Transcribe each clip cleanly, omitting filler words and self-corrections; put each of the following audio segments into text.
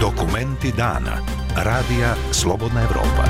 Dokumenti dana. Radija Slobodna Evropa.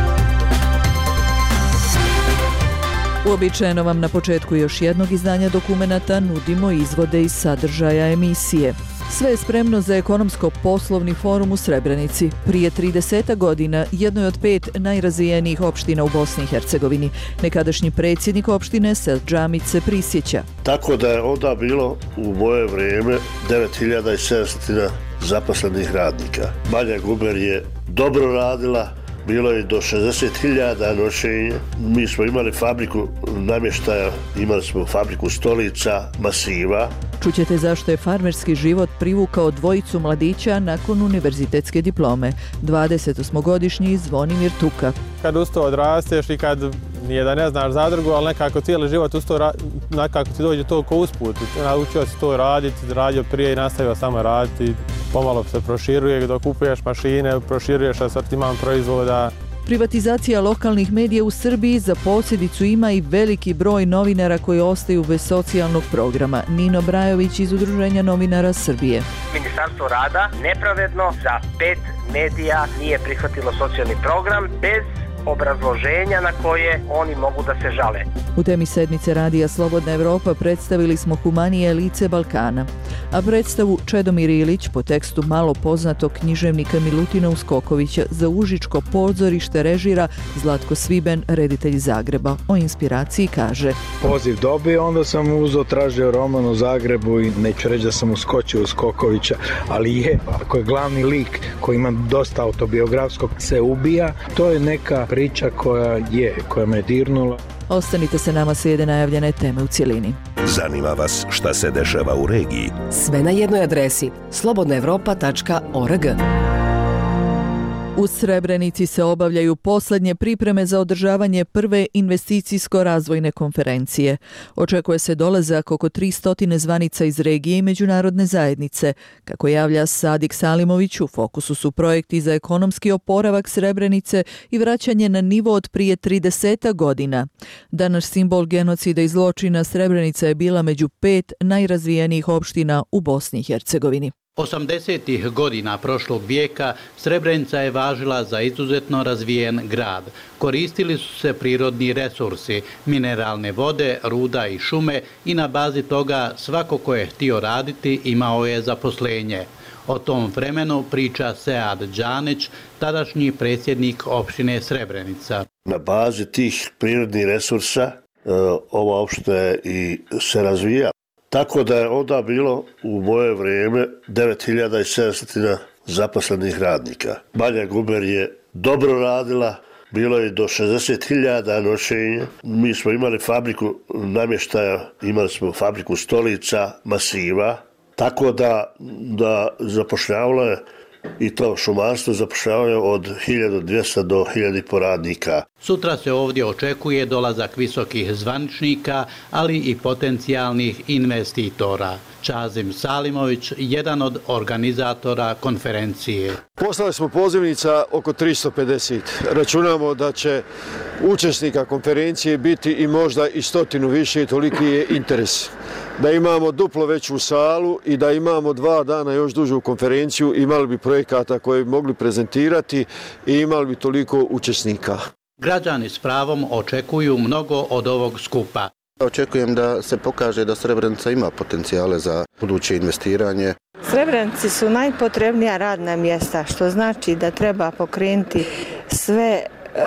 Uobičajeno vam na početku još jednog izdanja dokumenata nudimo izvode iz sadržaja emisije. Sve je spremno za ekonomsko-poslovni forum u Srebrenici. Prije 30 godina jednoj od 5 najrazvijenijih opština u Bosni i Hercegovini. Nekadašnji predsjednik opštine Seldžamić se prisjeća. Tako da je onda bilo u moje vrijeme 9700 zaposlenih radnika. Banja Guber je dobro radila, bilo je do 60.000 noćenja. Mi smo imali fabriku namještaja, imali smo fabriku stolica, masiva. Čućete zašto je farmerski život privukao dvojicu mladića nakon univerzitetske diplome. 28-godišnji Zvonimir Tuka. Kad uz to odrasteš i kad nije da ne znaš zadrugu, ali nekako cijeli život uz to, nekako ti dođe to ko usput. Naučio si to raditi, radio prije i nastavio samo raditi. Pomalo se proširuje dok kupuješ mašine, proširuješ asortiman proizvoda. Privatizacija lokalnih medija u Srbiji za posljedicu ima i veliki broj novinara koji ostaju bez socijalnog programa. Nino Brajović iz Udruženja novinara Srbije. Ministarstvo rada nepravedno za 5 medija nije prihvatilo socijalni program bez obrazloženja na koje oni mogu da se žale. U temi sedmice Radija Slobodna Evropa predstavili smo Humanije lice Balkana, a predstavu Čedomir Ilić po tekstu malo poznatog književnika Milutina Uskokovića za Užičko pozorište režira Zlatko Sviben, reditelj Zagreba. O inspiraciji kaže: Poziv dobio, onda sam tražio roman u Zagrebu i neću reći da sam uskočio Uskokovića, ali ako je glavni lik koji ima dosta autobiografskog se ubija, to je neka priča koja me dirnula. Ostanite se nama, slijede najavljene teme u cjelini. Zanima vas šta se dešava u regiji? Sve na jednoj adresi slobodnaevropa.org. U Srebrenici se obavljaju posljednje pripreme za održavanje prve investicijsko-razvojne konferencije. Očekuje se dolazak oko 300 zvanica iz regije i međunarodne zajednice. Kako javlja Sadik Salimović, u fokusu su projekti za ekonomski oporavak Srebrenice i vraćanje na nivo od prije 30 godina. Danas simbol genocida i zločina Srebrenica je bila među 5 najrazvijenijih opština u Bosni i Hercegovini. 80. godina prošlog vijeka Srebrenica je važila za izuzetno razvijen grad. Koristili su se prirodni resursi, mineralne vode, ruda i šume i na bazi toga svako ko je htio raditi imao je zaposlenje. O tom vremenu priča Sead Đanić, tadašnji predsjednik opštine Srebrenica. Na bazi tih prirodnih resursa ova opština i se razvija. Tako da je onda bilo u moje vrijeme 9700 zaposlenih radnika. Banja Guber je dobro radila, bilo je do 60.000 noćenja. Mi smo imali fabriku namještaja, imali smo fabriku stolica, masiva. Tako da zapošljavalo je i to šumarstvo zapošljavanje od 1200 do 1000 radnika. Sutra se ovdje očekuje dolazak visokih zvaničnika, ali i potencijalnih investitora. Čazim Salimović, jedan od organizatora konferencije. Poslali smo pozivnica oko 350. Računamo da će učesnika konferencije biti i možda i 100 više, toliki je interes. Da imamo duplo veću salu i da imamo 2 dana još dužu konferenciju, imali bi projekata koje bi mogli prezentirati i imali bi toliko učesnika. Građani s pravom očekuju mnogo od ovog skupa. Očekujem da se pokaže da Srebrenica ima potencijale za buduće investiranje. Srebrenici su najpotrebnija radna mjesta, što znači da treba pokrenuti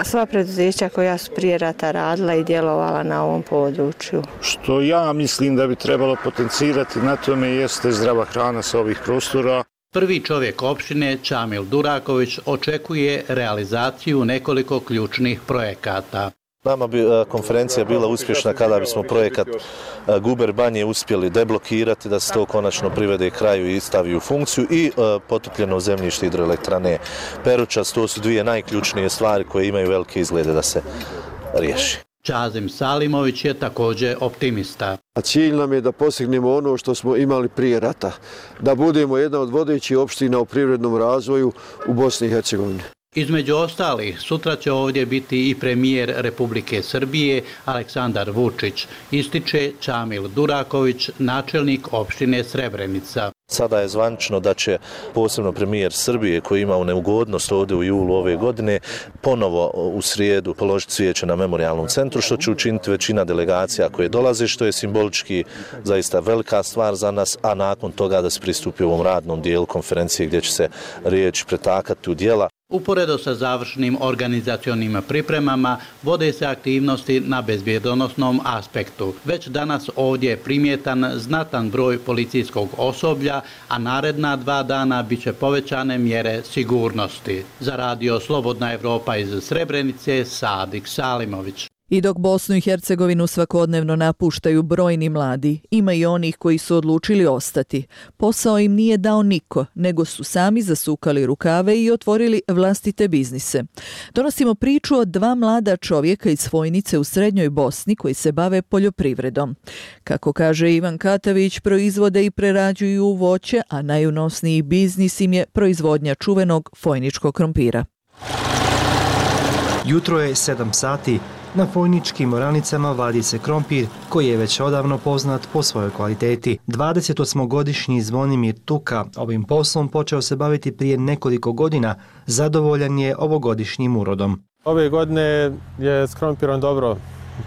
sva preduzeća koja su prije rata radila i djelovala na ovom području. Što ja mislim da bi trebalo potencirati na tome jeste zdrava hrana sa ovih prostora. Prvi čovjek opštine, Čamil Duraković, očekuje realizaciju nekoliko ključnih projekata. Nama bi konferencija bila uspješna kada bismo projekat Guber Banje uspjeli deblokirati, da se to konačno privede kraju i stavi u funkciju, i potopljeno zemljište hidroelektrane Peručac. To su 2 najključnije stvari koje imaju velike izglede da se riješi. Čazim Salimović je također optimista. Cilj nam je da postignemo ono što smo imali prije rata, da budemo jedna od vodećih opština u privrednom razvoju u Bosni i Hercegovini. Između ostalih, sutra će ovdje biti i premijer Republike Srbije Aleksandar Vučić, ističe Čamil Duraković, načelnik opštine Srebrenica. Sada je zvanično da će posebno premijer Srbije, koji ima neugodnost ovdje u julu ove godine, ponovo u srijedu položiti cvijeće na memorijalnom centru, što će učiniti većina delegacija koje dolaze, što je simbolički zaista velika stvar za nas, a nakon toga da se pristupi ovom radnom dijelu konferencije gdje će se riječi pretakati u djela. Uporedo sa završnim organizacionim pripremama vode se aktivnosti na bezbjedonosnom aspektu. Već danas ovdje je primjetan znatan broj policijskog osoblja, a naredna 2 dana bit će povećane mjere sigurnosti. Za radio Slobodna Evropa iz Srebrenice, Sadik Salimović. I dok Bosnu i Hercegovinu svakodnevno napuštaju brojni mladi, ima i onih koji su odlučili ostati. Posao im nije dao niko, nego su sami zasukali rukave i otvorili vlastite biznise. Donosimo priču o 2 mlada čovjeka iz Fojnice u srednjoj Bosni koji se bave poljoprivredom. Kako kaže Ivan Katavić, proizvode i prerađuju voće, a najunosniji biznis im je proizvodnja čuvenog fojničkog krompira. Jutro je 7 sati. Na fojničkim oranicama vadi se krompir koji je već odavno poznat po svojoj kvaliteti. 28-godišnji Zvonimir Tuka ovim poslom počeo se baviti prije nekoliko godina. Zadovoljan je ovogodišnjim urodom. Ove godine je s krompirom dobro.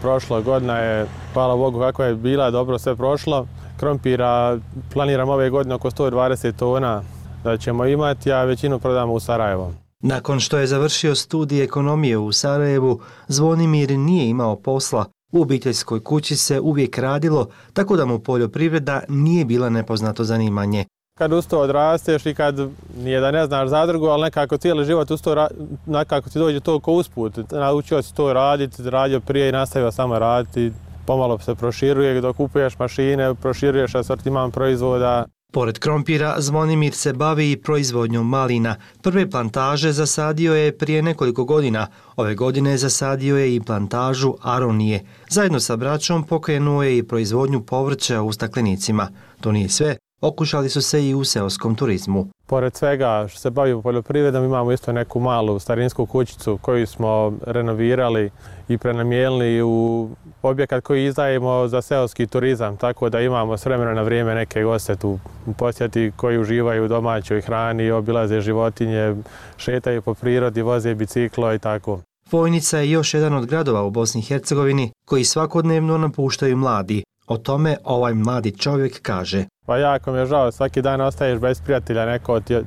Prošla godina je, hvala Bogu kako je bila, dobro sve prošlo. Krompira planiram ove godine oko 120 tona da ćemo imati, a većinu prodamo u Sarajevo. Nakon što je završio studij ekonomije u Sarajevu, Zvonimir nije imao posla. U obiteljskoj kući se uvijek radilo, tako da mu poljoprivreda nije bila nepoznato zanimanje. Kad uz to odrasteš i kad nije da ne znaš zadrugu, ali nekako cijeli život uz to, nekako ti dođe to ko usput. Naučio si to raditi, radio prije i nastavio samo raditi. Pomalo se proširuje, dok kupuješ mašine, proširuješ asortiman proizvoda. Pored krompira, Zvonimir se bavi i proizvodnjom malina. Prve plantaže zasadio je prije nekoliko godina. Ove godine zasadio je i plantažu aronije. Zajedno sa braćom pokrenuo je i proizvodnju povrća u staklenicima. To nije sve, okušali su se i u seoskom turizmu. Pored svega što se bavimo poljoprivredom, imamo isto neku malu starinsku kućicu koju smo renovirali i prenamijenili u objekat koji izdajemo za seoski turizam, tako da imamo s vremena na vrijeme neke goste tu u posjeti koji uživaju u domaćoj hrani, obilaze životinje, šetaju po prirodi, voze biciklo i tako. Fojnica je još jedan od gradova u Bosni i Hercegovini koji svakodnevno napuštaju mladi. O tome ovaj mladi čovjek kaže. Pa jako mi je žao, svaki dan ostaješ bez prijatelja,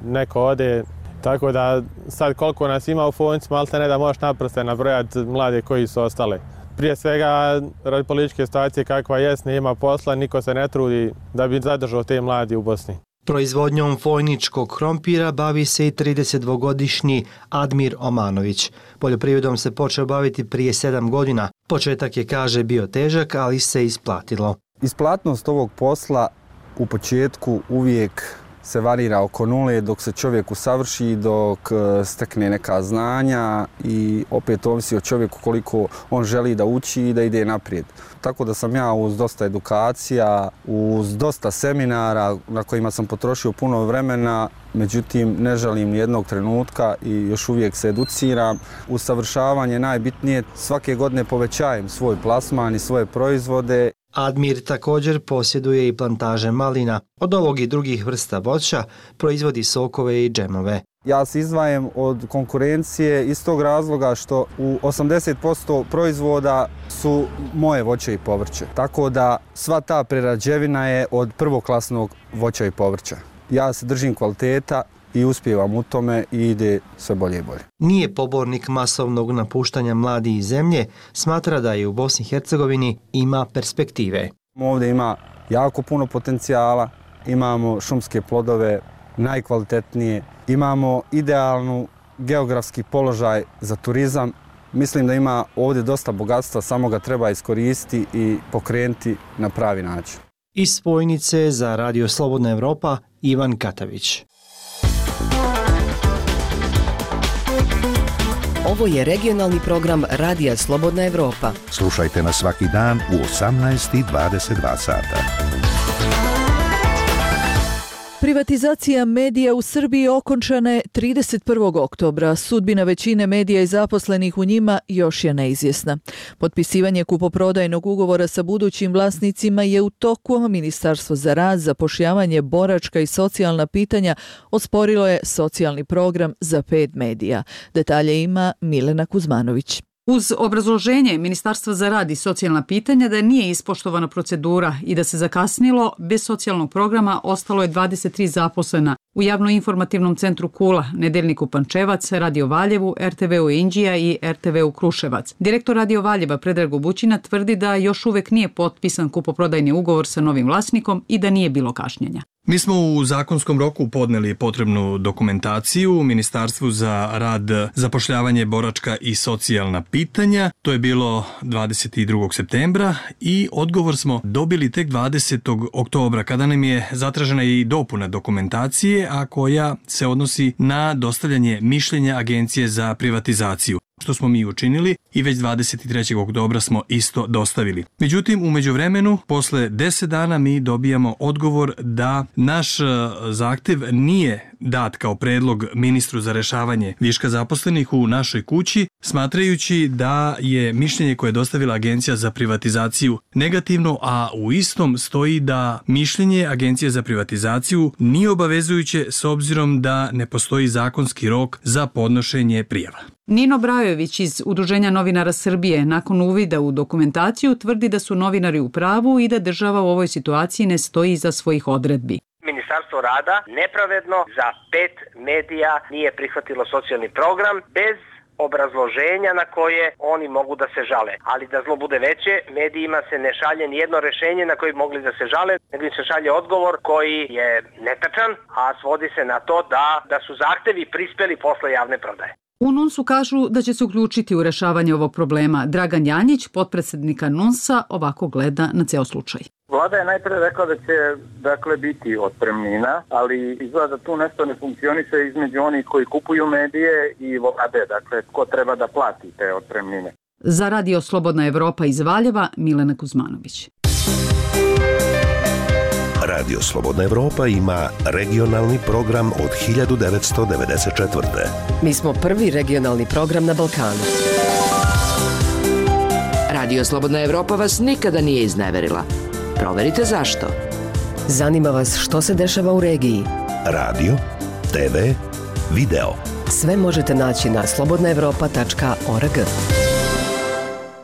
neko ode, tako da sad koliko nas ima u Fojnici, malte ne da možeš naprste nabrojati mlade koji su ostale. Prije svega, radi političke situacije kakva jest, nema posla, niko se ne trudi da bi zadržao te mladi u Bosni. Proizvodnjom fojničkog krompira bavi se i 32-godišnji Admir Omanović. Poljoprivredom se počeo baviti prije 7 godina. Početak je, kaže, bio težak, ali se isplatilo. Isplatnost ovog posla u početku uvijek se varira oko nule dok se čovjek usavrši, dok stekne neka znanja i opet ovisi o čovjeku koliko on želi da uči i da ide naprijed. Tako da sam ja uz dosta edukacija, uz dosta seminara na kojima sam potrošio puno vremena, međutim ne žalim nijednog trenutka i još uvijek se educiram. Usavršavanje najbitnije, svake godine povećajem svoj plasman i svoje proizvode. Admir također posjeduje i plantaže malina. Od ovog i drugih vrsta voća proizvodi sokove i džemove. Ja se izdvajam od konkurencije iz tog razloga što u 80% proizvoda su moje voće i povrće. Tako da sva ta prerađevina je od prvoklasnog voća i povrća. Ja se držim kvaliteta i uspijevam u tome i ide sve bolje i bolje. Nije pobornik masovnog napuštanja mladih iz zemlje, smatra da je u Bosni i Hercegovini ima perspektive. Ovdje ima jako puno potencijala, imamo šumske plodove, najkvalitetnije, imamo idealnu geografski položaj za turizam. Mislim da ima ovdje dosta bogatstva, samo ga treba iskoristiti i pokrenuti na pravi način. Iz Fojnice za Radio Slobodna Evropa, Ivan Katavić. Ovo je regionalni program Radija Slobodna Evropa. Slušajte nas svaki dan u 18:22 sata. Privatizacija medija u Srbiji okončana je 31. oktobra. Sudbina većine medija i zaposlenih u njima još je neizvjesna. Potpisivanje kupoprodajnog ugovora sa budućim vlasnicima je u toku, a Ministarstvo za rad, zapošljavanje, boračka i socijalna pitanja osporilo je socijalni program za 5 medija. Detalje ima Milena Kuzmanović. Uz obrazloženje Ministarstva za rad i socijalna pitanja da nije ispoštovana procedura i da se zakasnilo, bez socijalnog programa ostalo je 23 zaposlena u Javno-informativnom centru Kula, Nedeljniku Pančevac, Radio Valjevu, RTV-u Inđija i RTV-u Kruševac. Direktor Radio Valjeva Predrag Bućina tvrdi da još uvek nije potpisan kupoprodajni ugovor sa novim vlasnikom i da nije bilo kašnjenja. Mi smo u zakonskom roku podneli potrebnu dokumentaciju u Ministarstvu za rad, zapošljavanje, boračka i socijalna pitanja. To je bilo 22. septembra i odgovor smo dobili tek 20. oktobra kada nam je zatražena i dopuna dokumentacije, a koja se odnosi na dostavljanje mišljenja Agencije za privatizaciju, što smo mi učinili i već 23. oktobra smo isto dostavili. Međutim, u međuvremenu, posle 10 dana mi dobijamo odgovor da naš zahtev nije dat kao predlog ministru za rešavanje viška zaposlenih u našoj kući, smatrajući da je mišljenje koje je dostavila Agencija za privatizaciju negativno, a u istom stoji da mišljenje Agencije za privatizaciju nije obavezujuće s obzirom da ne postoji zakonski rok za podnošenje prijava. Nino Brajović iz Udruženja novinara Srbije nakon uvida u dokumentaciju tvrdi da su novinari u pravu i da država u ovoj situaciji ne stoji iza svojih odredbi. Ministarstvo rada nepravedno za 5 medija nije prihvatilo socijalni program bez obrazloženja na koje oni mogu da se žale. Ali da zlo bude veće, medijima se ne šalje nijedno rešenje na koje bi mogli da se žale, nego im se šalje odgovor koji je netačan, a svodi se na to da su zahtevi prispeli posle javne prodaje. U NUNS-u kažu da će se uključiti u rešavanje ovog problema. Dragan Janjić, potpredsednika NUNS-a, ovako gleda na ceo slučaj. Vlada je najpre rekla da će biti otpremnina, ali izgleda da tu nešto ne funkcioniše između onih koji kupuju medije i vlade, ko treba da plati te otpremnine. Za Radio Slobodna Evropa iz Valjeva, Milena Kuzmanović. Radio Slobodna Evropa ima regionalni program od 1994. Mi smo prvi regionalni program na Balkanu. Radio Slobodna Evropa vas nikada nije izneverila. Proverite zašto. Zanima vas što se dešava u regiji. Radio, TV, video. Sve možete naći na slobodnaevropa.org.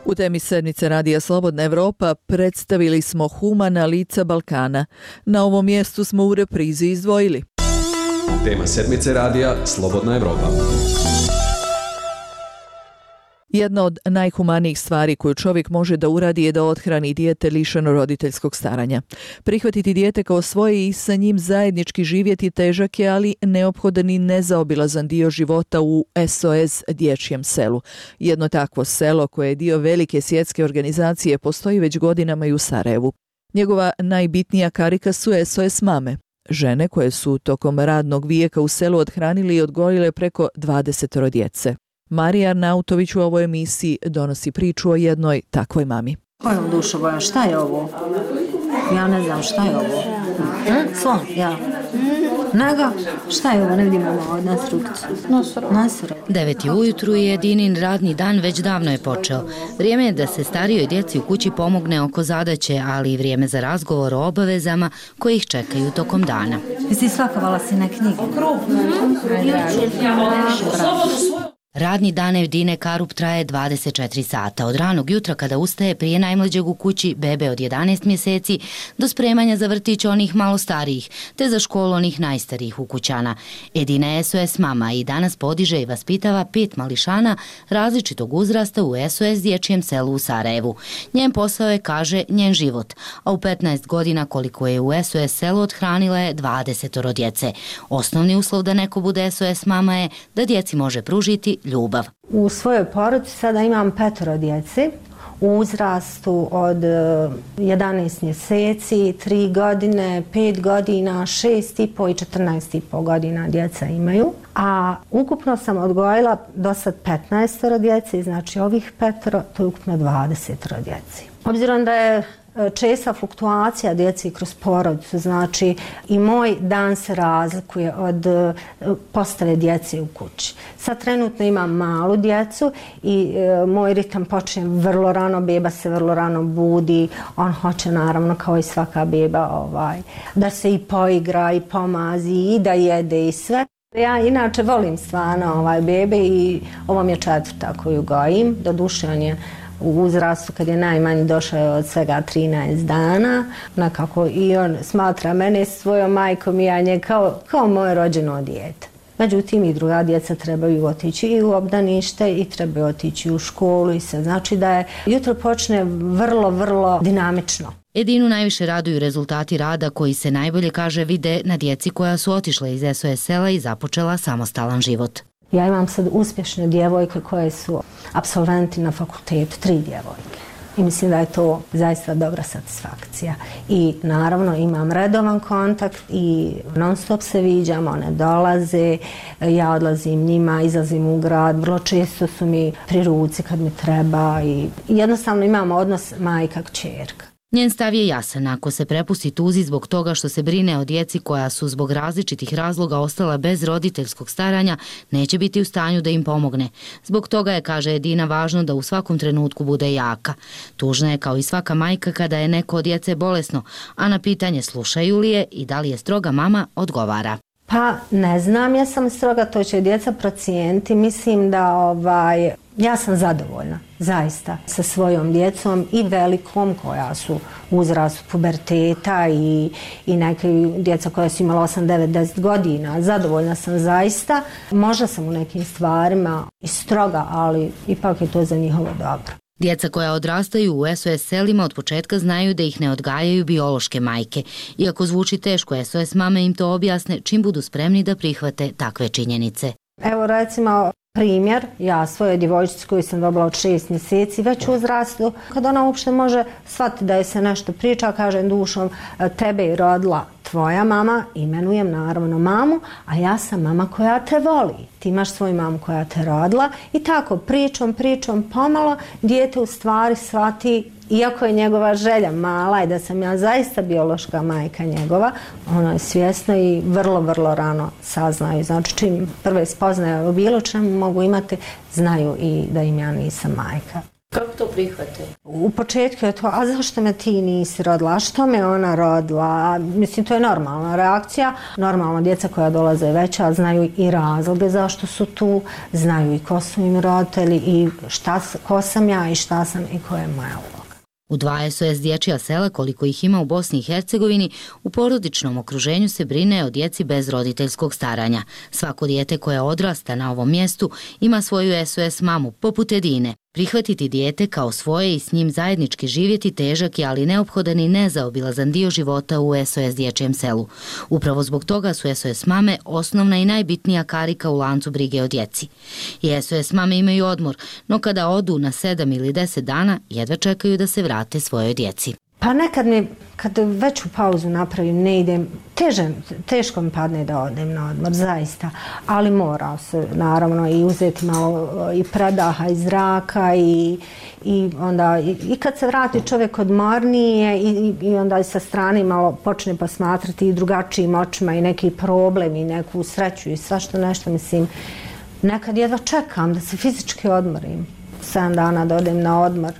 U temi sedmice Radija Slobodna Evropa predstavili smo humana lica Balkana. Na ovom mjestu smo u reprizi izdvojili. Tema sedmice Radija Slobodna Evropa. Jedna od najhumanijih stvari koju čovjek može da uradi je da othrani dijete lišeno roditeljskog staranja. Prihvatiti dijete kao svoje i sa njim zajednički živjeti težak je, ali neophodan i nezaobilazan dio života u SOS dječjem selu. Jedno takvo selo koje je dio velike svjetske organizacije postoji već godinama i u Sarajevu. Njegova najbitnija karika su SOS mame. Žene koje su tokom radnog vijeka u selu othranili i odgojile preko 20 djece. Marija Arnautović u ovoj emisiji donosi priču o jednoj takvoj mami. Kojom dušo boja, šta je ovo? Ja ne znam šta je ovo. Slon, ja. Nego, šta je ovo, ne vidimo ovo od nasrukcu. Nasruk. 9 ujutru je Dinin radni dan već davno je počeo. Vrijeme je da se starijoj djeci u kući pomogne oko zadaće, ali i vrijeme za razgovor o obavezama koji ih čekaju tokom dana. Jesi svakovala si na knjige? Radni dan Evdine Karup traje 24 sata. Od ranog jutra kada ustaje prije najmlađeg u kući, bebe od 11 mjeseci, do spremanja za vrtić onih malo starijih, te za školu onih najstarijih ukućana. Edina je SOS mama i danas podiže i vaspitava 5 mališana različitog uzrasta u SOS dječjem selu u Sarajevu. Njen posao je, kaže, njen život, a u 15 godina koliko je u SOS selu othranila je 20 djece. Osnovni uslov da neko bude SOS mama je da djeci može pružiti ljubav. U svojoj porodici sada imam 5 djece u uzrastu od 11 mjeseci, 3 godine, 5 godina, 6,5 i 14,5 godina djeca imaju. A ukupno sam odgojila do sad 15 djece, znači ovih 5, to je ukupno 20 djeci. Obzirom da je česta fluktuacija djece kroz porodicu, znači i moj dan se razlikuje od postave djece u kući. Sad trenutno imam malu djecu i moj ritam počne vrlo rano, beba se vrlo rano budi, on hoće naravno kao i svaka beba da se i poigra i pomazi i da jede i sve. Ja inače volim stvarno bebe i ovo mi je 4. koju gojim, doduše on je u uzrastu kad je najmanji došao od svega 13 dana, nekako i on smatra mene svojom majkom i ja nje kao moje rođeno dijete. Međutim, i druga djeca trebaju otići i u obdanište i trebaju otići u školu i sve. Znači da je jutro počne vrlo, vrlo dinamično. Edinu najviše raduju rezultati rada koji se najbolje, kaže, vide na djeci koja su otišla iz SOS sela i započela samostalan život. Ja imam sad uspješne djevojke koje su apsolventi na fakultetu, 3 djevojke. I mislim da je to zaista dobra satisfakcija. I naravno imam redovan kontakt i non stop se viđam, one dolaze, ja odlazim njima, izlazim u grad, vrlo često su mi pri ruci kad mi treba i jednostavno imamo odnos majka-kćerka. Njen stav je jasan, ako se prepusti tuzi zbog toga što se brine o djeci koja su zbog različitih razloga ostala bez roditeljskog staranja, neće biti u stanju da im pomogne. Zbog toga je, kaže Edina, važno da u svakom trenutku bude jaka. Tužna je kao i svaka majka kada je neko od djece bolesno, a na pitanje slušaju li je i da li je stroga mama, odgovara. Pa ne znam, ja sam stroga, to će djeca procijeniti. Mislim da ja sam zadovoljna, zaista, sa svojom djecom i velikom koja su u uzrastu puberteta i neke djeca koja su imala 8, 9, 10 godina. Zadovoljna sam zaista. Možda sam u nekim stvarima i stroga, ali ipak je to za njihovo dobro. Djeca koja odrastaju u SOS selima od početka znaju da ih ne odgajaju biološke majke. Iako zvuči teško, SOS mame im to objasne čim budu spremni da prihvate takve činjenice. Evo recimo primjer, ja svojoj djevojčici koju sam dobila od 6 mjeseci već u uzrastu, kad ona uopšte može shvatiti da je se nešto priča, kažem dušom, tebe je rodila tvoja mama, imenujem naravno mamu, a ja sam mama koja te voli. Ti imaš svoju mamu koja te rodila i tako pričom, pomalo dijete u stvari shvati, iako je njegova želja mala i da sam ja zaista biološka majka njegova, ono je svjesno i vrlo, vrlo rano saznaju. Znači čim prve spoznaje o bilo čemu mogu imati, znaju i da im ja nisam majka. Kako to prihvate? U početku je to, a zašto me ti nisi rodila, a što me ona rodila? Mislim, to je normalna reakcija. Normalno, djeca koja dolaze veća znaju i razloge zašto su tu, znaju i ko su im roditelji i ko sam ja i šta sam i koja je moja uloga. U 2 SOS dječja sela, koliko ih ima u Bosni i Hercegovini, u porodičnom okruženju se brine o djeci bez roditeljskog staranja. Svako dijete koje odrasta na ovom mjestu ima svoju SOS mamu, poput Edine. Prihvatiti dijete kao svoje i s njim zajednički živjeti težak je, ali neophodan i nezaobilazan dio života u SOS dječjem selu. Upravo zbog toga su SOS mame osnovna i najbitnija karika u lancu brige o djeci. I SOS mame imaju odmor, no kada odu na 7 ili 10 dana, jedva čekaju da se vrate svojoj djeci. Pa nekad kad veću pauzu napravim, ne idem, teško mi padne da odem na odmor, zaista. Ali mora se naravno i uzeti malo i predaha iz zraka i onda i kad se vrati čovjek odmornije i onda i sa strane malo počne posmatrati i drugačijim očima i neki problem i neku sreću i svašta nešto, mislim. Nekad jedva čekam da se fizički odmorim, 7 dana da odem na odmor.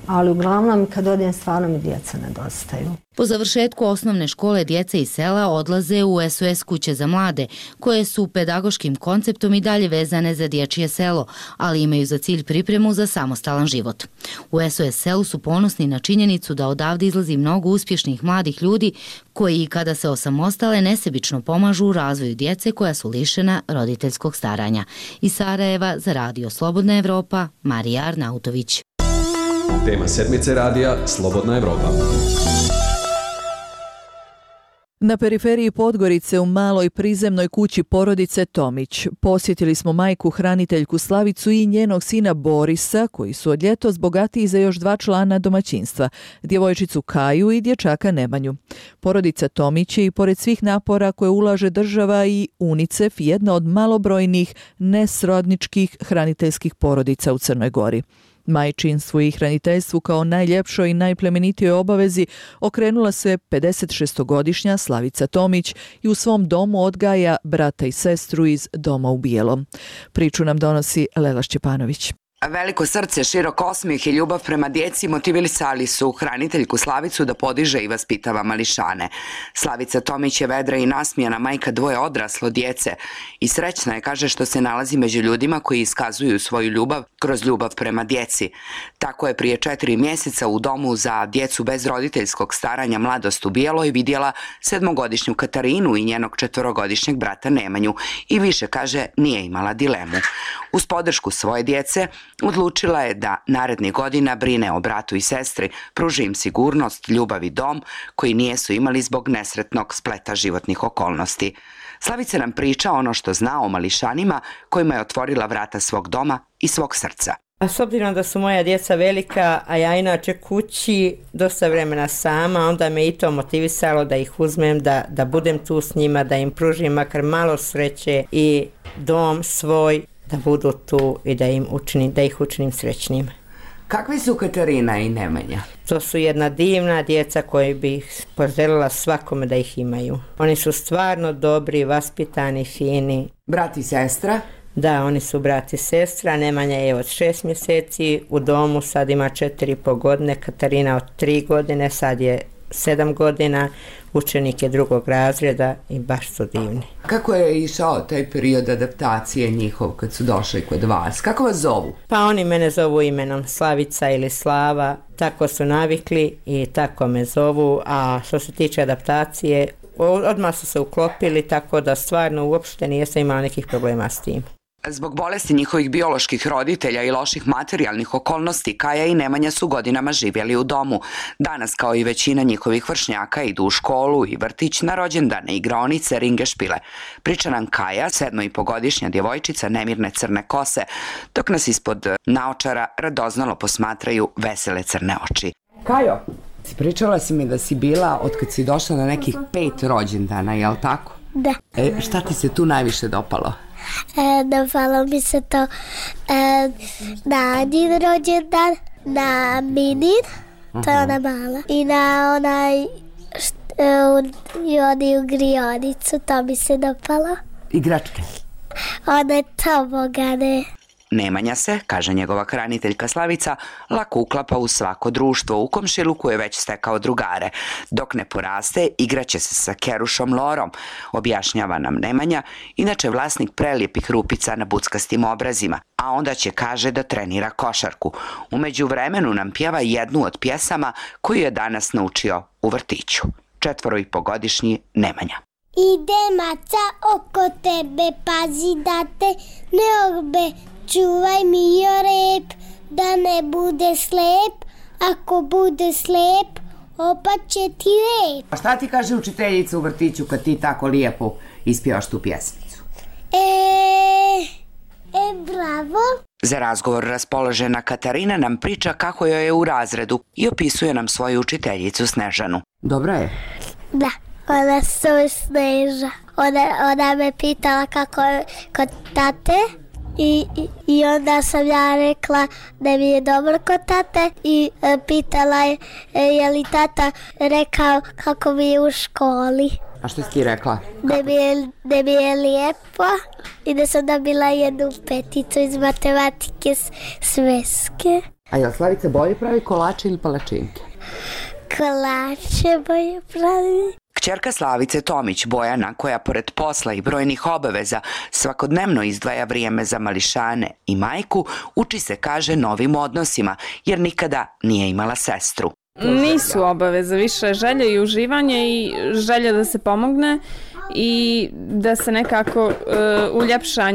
Ali uglavnom kad odem stvarno mi djeca nedostaju. Po završetku osnovne škole djeca iz sela odlaze u SOS kuće za mlade, koje su pedagoškim konceptom i dalje vezane za dječje selo, ali imaju za cilj pripremu za samostalan život. U SOS selu su ponosni na činjenicu da odavde izlazi mnogo uspješnih mladih ljudi koji, kada se osamostale, nesebično pomažu u razvoju djece koja su lišena roditeljskog staranja. Iz Sarajeva za Radio Slobodna Evropa, Marija Arnautović. Tema sedmice radija Slobodna Evropa. Na periferiji Podgorice u maloj prizemnoj kući porodice Tomić posjetili smo majku hraniteljku Slavicu i njenog sina Borisa, koji su od ljetos bogatiji za još 2 člana domaćinstva, djevojčicu Kaju i dječaka Nemanju. Porodica Tomić je i pored svih napora koje ulaže država i UNICEF jedna od malobrojnih nesrodničkih hraniteljskih porodica u Crnoj Gori. Majčinstvu i hraniteljstvu kao najljepšoj i najplemenitijoj obavezi okrenula se 56-godišnja Slavica Tomić i u svom domu odgaja brata i sestru iz Doma u bijelom. Priču nam donosi Lela Šćepanović. Veliko srce, širok osmijeh i ljubav prema djeci motivisali su hraniteljku Slavicu da podiže i vaspitava mališane. Slavica Tomić je vedra i nasmijana majka dvoje odraslo djece i srećna je, kaže, što se nalazi među ljudima koji iskazuju svoju ljubav kroz ljubav prema djeci. Tako je prije 4 mjeseca u domu za djecu bez roditeljskog staranja Mladost u Bijeloj vidjela 7-godišnju Katarinu i njenog 4-godišnjeg brata Nemanju i više, kaže, nije imala dilemu. Uz podršku svoje djece odlučila je da narednih godina brine o bratu i sestri, pruži im sigurnost, ljubav i dom koji nijesu imali zbog nesretnog spleta životnih okolnosti. Slavica nam priča ono što zna o mališanima kojima je otvorila vrata svog doma i svog srca. A s obzirom da su moja djeca velika, a ja inače kući dosta vremena sama, onda me i to motivisalo da ih uzmem, da budem tu s njima, da im pružim makar malo sreće i dom svoj, da budu tu i da ih učinim srećnim. Kakvi su Katarina i Nemanja? To su jedna divna djeca koji bi poželjela svakome da ih imaju. Oni su stvarno dobri, vaspitani, fini. Brat i sestra? Da, oni su brat i sestra. Nemanja je od 6 mjeseci, u domu sad ima 4,5 godine, Katarina od 3 godine, sad je 7 godina, učenik je 2. razreda i baš su divni. Kako je išao taj period adaptacije njihov kad su došli kod vas? Kako vas zovu? Pa oni mene zovu imenom Slavica ili Slava, tako su navikli i tako me zovu, a što se tiče adaptacije, odmah su se uklopili, tako da stvarno uopšte nisam imala nekih problema s tim. Zbog bolesti njihovih bioloških roditelja i loših materijalnih okolnosti, Kaja i Nemanja su godinama živjeli u domu. Danas, kao i većina njihovih vršnjaka, idu u školu i vrtić, na rođendane, igraonice, ringešpile. Priča nam Kaja, 7,5-godišnja djevojčica nemirne crne kose, dok nas ispod naočara radoznalo posmatraju vesele crne oči. Kajo, pričala si mi da si bila od kad si došla na nekih 5 rođendana, jel tako? Da. Šta ti se tu najviše dopalo? Dopalo mi se to na Anjin rođendan, na Minin, to je ona mala, i na onaj i oni u grionicu, to mi se dopalo. Igračke? One tobogane. Nemanja se, kaže njegova hraniteljka Slavica, lako uklapa u svako društvo. U komšiluku je već stekao drugare. Dok ne poraste, igraće se sa kerušom Lorom, objašnjava nam Nemanja, inače vlasnik prelijepih rupica na buckastim obrazima, a onda će, kaže, da trenira košarku. U međuvremenu nam pjeva jednu od pjesama koju je danas naučio u vrtiću. 4,5-godišnji Nemanja. Ide maca oko tebe, pazi da te ne orbe, čuvaj mi rep, da ne bude slep, ako bude slep, opat će ti rep. A šta ti kaže učiteljica u vrtiću kad ti tako lijepo ispjevaš tu pjesmicu? Bravo. Za razgovor raspoložena Katarina nam priča kako joj je u razredu i opisuje nam svoju učiteljicu Snežanu. Dobra je? Da. Ona se Sneža. Ona me pitala kako je kod tate i onda sam ja rekla da mi je dobro kod tate i pitala je li tata rekao kako mi je u školi. A što si ti rekla? Da mi je lijepo i da sam dobila 1 peticu iz matematike sveske. A jel Slavica bolje pravi kolače ili palačinke? Kolače bolje pravi. Kćerka Slavice Tomić, Bojana, koja pored posla i brojnih obaveza svakodnevno izdvaja vrijeme za mališane i majku, uči se, kaže, novim odnosima, jer nikada nije imala sestru. Nisu obaveze, više želje i uživanje i želje da se pomogne i da se nekako uljepša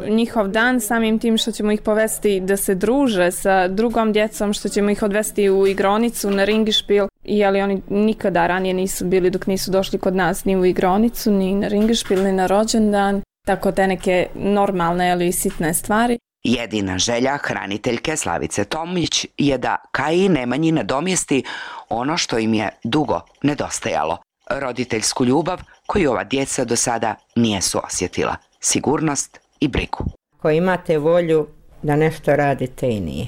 njihov dan samim tim što ćemo ih povesti da se druže sa drugom djecom, što ćemo ih odvesti u igronicu, na ringišpil. Jeli oni nikada ranije nisu bili dok nisu došli kod nas ni u igronicu, ni na ringišpil, ni na rođendan, tako te neke normalne ili sitne stvari. Jedina želja hraniteljke Slavice Tomić je da Kaji i Nemanji nadomjesti ono što im je dugo nedostajalo. Roditeljsku ljubav koju ova djeca do sada nijesu osjetila. Sigurnost i brigu. Ako imate volju da nešto radite i nije.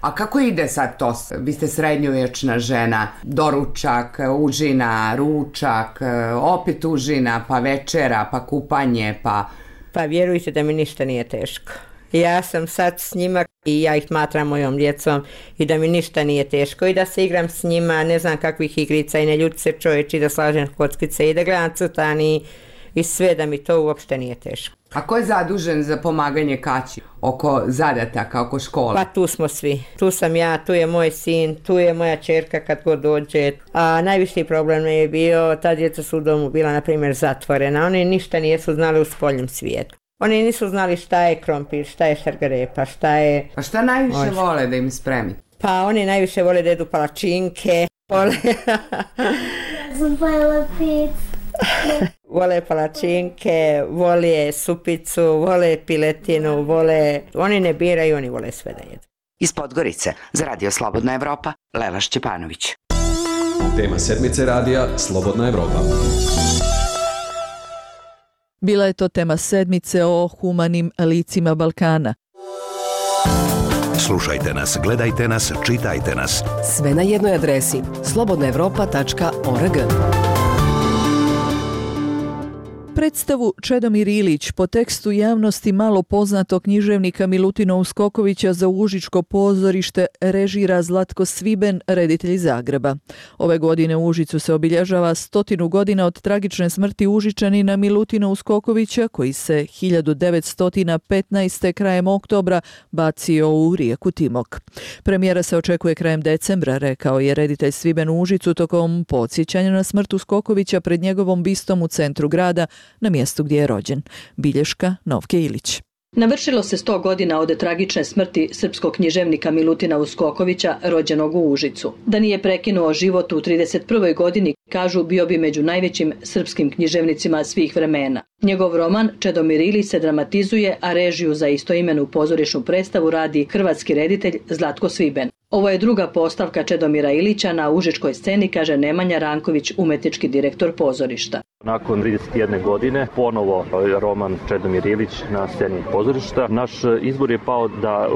A kako ide sad to? Vi ste srednjovječna žena, doručak, užina, ručak, opet užina, pa večera, pa kupanje, pa... Pa vjerujte da mi ništa nije teško. Ja sam sad s njima i ja ih smatram mojom djecom i da mi ništa nije teško i da se igram s njima, ne znam kakvih igrica i ne ljuti se čovječi, da slažem kockice i da gledam crtani i sve, da mi to uopšte nije teško. A ko je zadužen za pomaganje Kaći oko zadataka, oko škole? Pa tu smo svi. Tu sam ja, tu je moj sin, tu je moja ćerka kad god dođe. A najviši problem je bio, ta djeca su u domu bila, na primjer, zatvorena. Oni ništa nisu znali u spoljnom svijetu. Oni nisu znali šta je krompir, šta je šargarepa, šta je... A šta najviše vole da im spremi? Pa oni najviše vole da jedu palačinke, vole palačinke, vole supicu, vole piletinu, vole... Oni ne biraju, oni vole sve da jedu. Iz Podgorice, za Radio Slobodna Evropa, Lela Šćepanović. Tema sedmice radija Slobodna Evropa. Bila je to tema sedmice o humanim licima Balkana. Slušajte nas, gledajte nas, čitajte nas. Sve na jednoj adresi slobodnaevropa.org. Predstavu Čedomir Ilić po tekstu javnosti malo poznatog književnika Milutina Uskokovića za Užičko pozorište režira Zlatko Sviben, reditelj iz Zagreba. Ove godine u Užicu se obilježava 100 godina od tragične smrti Užičanina Milutina Uskokovića, koji se 1915. krajem oktobra bacio u rijeku Timok. Premijera se očekuje krajem decembra, rekao je reditelj Sviben u Užicu tokom podsjećanja na smrt Uskokovića pred njegovom bistom u centru grada, na mjestu gdje je rođen. Bilješka Novke Ilić. Navršilo se 100 godina od tragične smrti srpskog književnika Milutina Uskokovića, rođenog u Užicu. Da nije prekinuo život u 31. godini, kažu, bio bi među najvećim srpskim književnicima svih vremena. Njegov roman Čedomir Ilić se dramatizuje, a režiju za istoimenu pozorišnu predstavu radi hrvatski reditelj Zlatko Sviben. Ovo je druga postavka Čedomira Ilića na užičkoj sceni, kaže Nemanja Ranković, umetnički direktor pozorišta. Nakon 31 godine ponovo roman Čedomir Ilić na sceni pozorišta. Naš izbor je pao da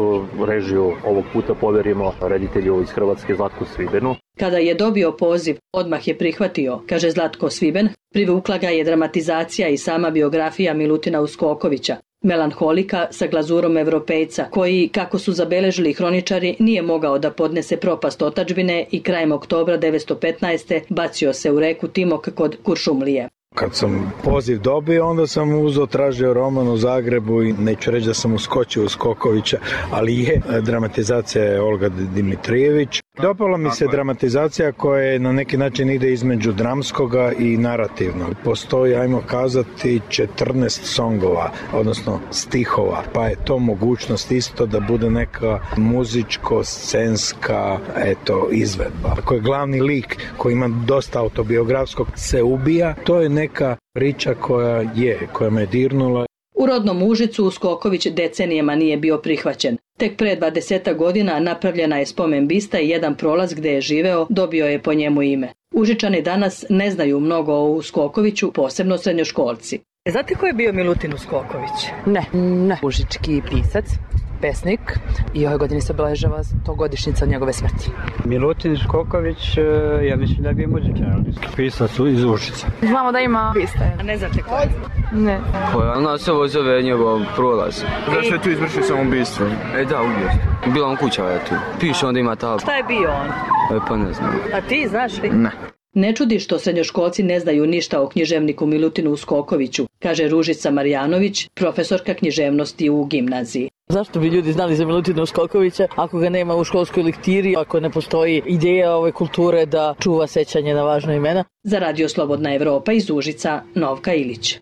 režiju ovog puta povjerimo reditelju iz Hrvatske Zlatku Svibenu. Kada je dobio poziv, odmah je prihvatio, kaže Zlatko Sviben. Privukla ga je dramatizacija i sama biografija Milutina Uskokovića. Melanholika sa glazurom Evropejca, koji, kako su zabeležili hroničari, nije mogao da podnese propast otadžbine i krajem oktobra 1915. bacio se u reku Timok kod Kuršumlije. Kad sam poziv dobio, onda sam tražio roman u Zagrebu i neću reći da sam uskočio Uskokovića, ali je dramatizacija je Olga Dimitrijević. Dopala mi se dramatizacija koja je na neki način ide između dramskoga i narativnog. Postoji, ajmo kazati, 14 songova, odnosno stihova, pa je to mogućnost isto da bude neka muzičko-scenska izvedba. Ako je glavni lik koji ima dosta autobiografskog se ubija, to je neka priča koja me dirnula. U rodnom Užicu Uskoković decenijama nije bio prihvaćen. Tek pre 20 godina napravljena je spomen bista i jedan prolaz gdje je živeo dobio je po njemu ime. Užičani danas ne znaju mnogo o Uskokoviću, posebno srednjoškolci. Znate ko je bio Milutin Uskoković? Ne. Užički pisac, pesnik i ove godine se obeležava 100-godišnjica od njegove smrti. Milutin Uskoković, ja mislim da je bio muzičar, pisac iz Užica. Znamo da ima biste. A ne znate ko je? Ne. Ona se ovo zove njegov prolaz. Zašto je tu izvršio samoubistvo? Da, ubio. Bila on kuća je tu. Piše onda ima tablu. Šta je bio on? Pa ne znam. A ti znaš li? Ne. Ne čudi što srednjoškolci ne znaju ništa o književniku Milutinu Uskokoviću, kaže Ružica Marjanović, profesorka književnosti u gimnaziji. Zašto bi ljudi znali za Milutina Uskokovića ako ga nema u školskoj lektiri, ako ne postoji ideja ove kulture da čuva sećanje na važna imena? Za Radio Slobodna Evropa iz Užica, Novka Ilić.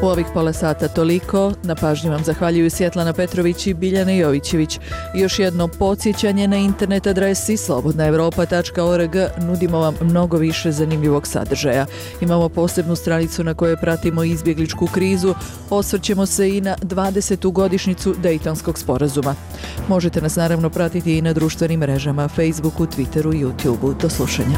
U ovih pola sata toliko. Na pažnji vam zahvaljuju Svjetlana Petrović i Biljana Jovićević. Još jedno podsjećanje na internet adresi slobodnaevropa.org. Nudimo vam mnogo više zanimljivog sadržaja. Imamo posebnu stranicu na kojoj pratimo izbjegličku krizu. Osvrćemo se i na 20. godišnjicu Dejtonskog sporazuma. Možete nas naravno pratiti i na društvenim mrežama, Facebooku, Twitteru i YouTubeu. Do slušanja.